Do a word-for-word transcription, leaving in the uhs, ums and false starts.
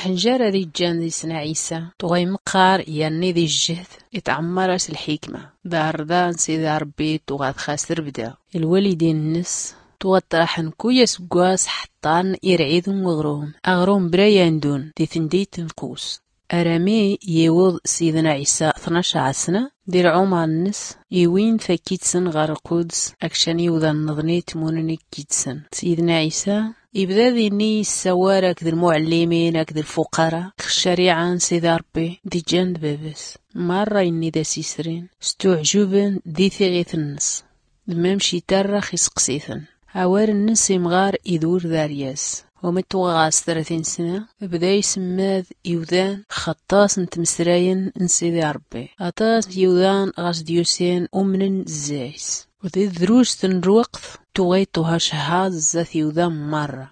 Ḥnjar ad-iǧǧan di-s n ɛisa tuɣa imqqar, yerni di-s jjhd itɛemmar-as lḥikma. D-arḍa n-sidi ṛebbi tuɣa txas trbda. Lwalidin-nnes tuɣa ttraḥn kuy asggwas ḥṭṭan irɛiden n-uɣrum, aɣrum bra yandun di-tndit n-qus. Arami yiwḍ sidna ɛisa tnac asna di-lɛumar-nnes, iwin-d fakkit-sen ɣer lquds akcan iwḍan-nneḍni tmunen ikkit-sen. Sidna ɛisa ibda dinni issawar akd lmuɛllimin akd lfuqara k-ccariɛa n-sidi ṛebbi d-iǧǧan d-bab-s. Marra inni d-as-isrin stuɛǧuben di-tiɣit-nnes. D-mamc itarrax isqs-iten. Awal-nnes imɣar idwr d-aryas. Umi tuɣa ɣas trat insna, bda ismmad iwdan x-aṭas n-tmesrayen n-sidi ṛebbi. Aṭas n-iwdan ɣas d-yusin umnen zzay-s. U di-tdrust n-lweqt tuɣa iṭuha cehhaḍ zdat iwdan marra.